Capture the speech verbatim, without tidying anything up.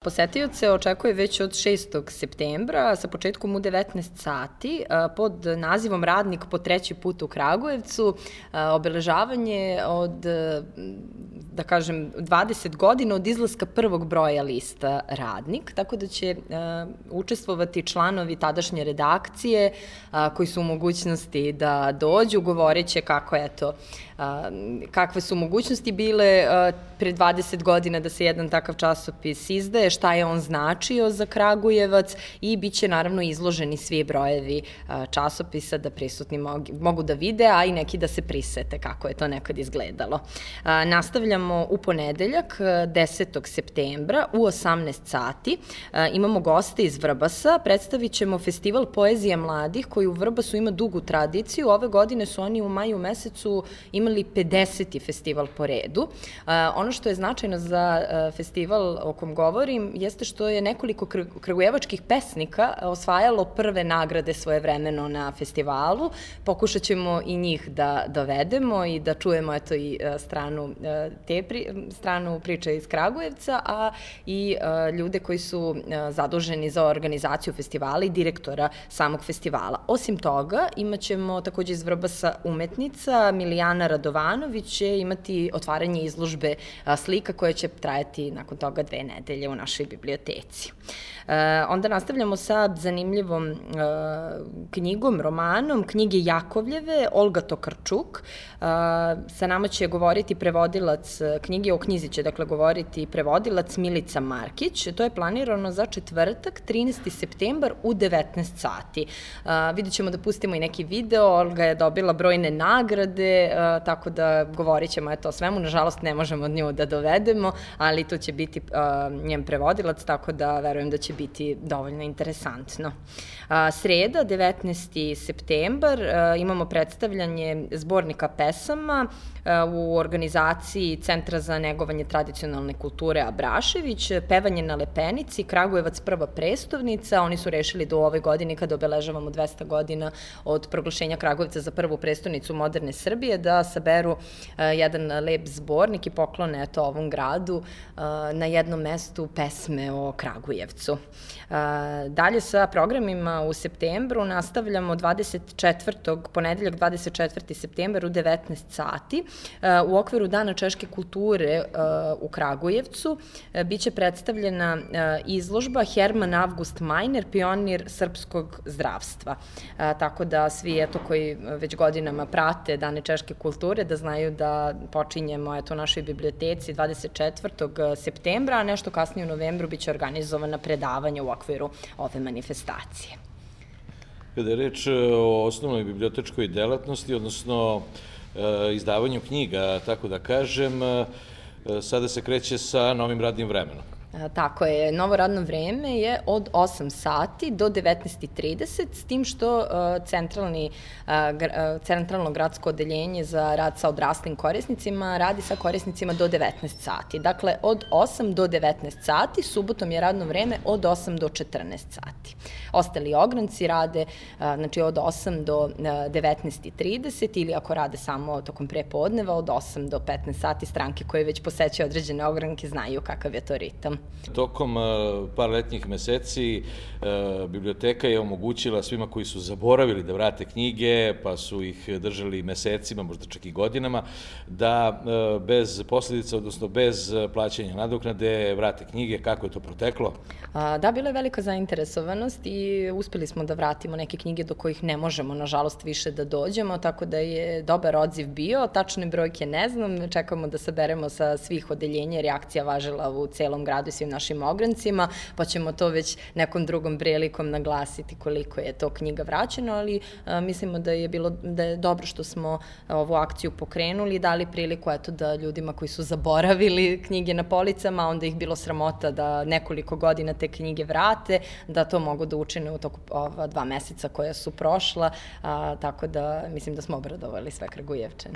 Posetioce očekuje već od šestog septembra sa početkom u devetnaest sati pod nazivom Radnik po treći put u Kragujevcu, obeležavanje od, da kažem, dvadeset godina od izlaska prvog broja lista Radnik, tako da će učestvovati članovi tadašnje redakcije koji su u mogućnosti da dođu, govoreće kako je to, kakve su mogućnosti bile pre dvadeset godina da se jedan takav časopis izdaje, šta je on značio za Kragujevac i bit će naravno izloženi svi brojevi časopisa da prisutni mogu da vide, a i neki da se prisete kako je to nekad izgledalo. Nastavljamo u ponedeljak, desetog septembra u osamnaest sati. Imamo goste iz Vrbasa, predstavit ćemo festival poezije mladih koji u Vrbasu ima dugu tradiciju. Ove godine su oni u maju mesecu imali pedeseti festival po redu. Ono što je značajno za festival o kom govorim jeste što je nekoliko kragujevačkih pesnika osvajalo prve nagrade svojevremeno na festivalu. Pokušat ćemo i njih da dovedemo i da čujemo eto i stranu, te pri, stranu priče iz Kragujevca, a i ljude koji su zaduženi za organizaciju festivala i direktora samog festivala. Osim toga, imat ćemo takođe iz Vrbasa umetnica Milijana Radovanović će imati otvaranje izložbe slika koja će trajati nakon toga dve nedelje u našoj biblioteci. Onda nastavljamo sa zanimljivom knjigom, romanom, knjige Jakovljeve, Olga Tokarčuk. Sa nama će govoriti prevodilac knjige, o knjizi će dakle govoriti prevodilac Milica Markić. To je planirano za četvrtak, trinaesti septembar u devetnaest sati. Vidjet ćemo da pustimo i neki video, Olga je dobila brojne nagrade, tako da govorit ćemo eto o svemu. Nažalost, ne možemo od nju da dovedemo, ali tu će biti njen prevodilac, tako da verujem da će biti dovoljno interesantno. Sreda, devetnaesti septembar, imamo predstavljanje zbornika pesama u organizaciji Centra za negovanje tradicionalne kulture Abrašević, pevanje na Lepenici, Kragujevac prva prestolnica. Oni su rešili da u ovoj godini, kada obeležavamo dvesta godina od proglašenja Kragujevca za prvu prestolnicu moderne Srbije, da saberu jedan lep zbornik i poklone eto ovom gradu na jednom mestu pesme o Kragujevcu. Dalje sa programima u septembru nastavljamo dvadeset četvrtog ponedeljak dvadeset četvrti septembar u devetnaest sati. U okviru Dana češke kulture u Kragujevcu biće predstavljena izložba Herman Avgust Majner, pionir srpskog zdravstva. Tako da svi eto koji već godinama prate Dane češke kulture da znaju da počinjemo eto u našoj biblioteci dvadeset četvrtog septembra, a nešto kasnije u novembru biće organizovana predavanja u okviru ove manifestacije. Kada je reč o osnovnoj bibliotečkoj delatnosti, odnosno izdavanju knjiga, tako da kažem, sada se kreće sa novim radnim vremenom. Tako je, novo radno vreme je od osam sati do devetnaest i trideset, s tim što centralni, centralno gradsko odeljenje za rad sa odraslim korisnicima radi sa korisnicima do devetnaest sati. Dakle, od osam do devetnaest sati, subotom je radno vreme od osam do četrnaest sati. Ostali ogranci rade znači, od osam do devetnaest i trideset ili ako rade samo tokom prepodneva od osam do petnaest sati. Stranke koje već posećaju određene ogranke znaju kakav je to ritam. Tokom par letnjih meseci biblioteka je omogućila svima koji su zaboravili da vrate knjige, pa su ih držali mesecima, možda čak i godinama, da bez posledica, odnosno bez plaćanja nadoknade vrate knjige. Kako je to proteklo? Da, bila je velika zainteresovanost i uspeli smo da vratimo neke knjige do kojih ne možemo, nažalost, više da dođemo, tako da je dobar odziv bio. Tačne brojke ne znam, čekamo da saberemo sa svih odeljenja, jer je akcija važila u celom gradu i svim našim ograncima, pa ćemo to već nekom drugom prilikom naglasiti koliko je to knjiga vraćeno, ali mislimo da je bilo da je dobro što smo ovu akciju pokrenuli i dali priliku eto da ljudima koji su zaboravili knjige na policama, onda ih bilo sramota da nekoliko godina te knjige vrate, da to mogu da učine u toku ova dva meseca koja su prošla, tako da mislim da smo obradovali sve Kragujevčane.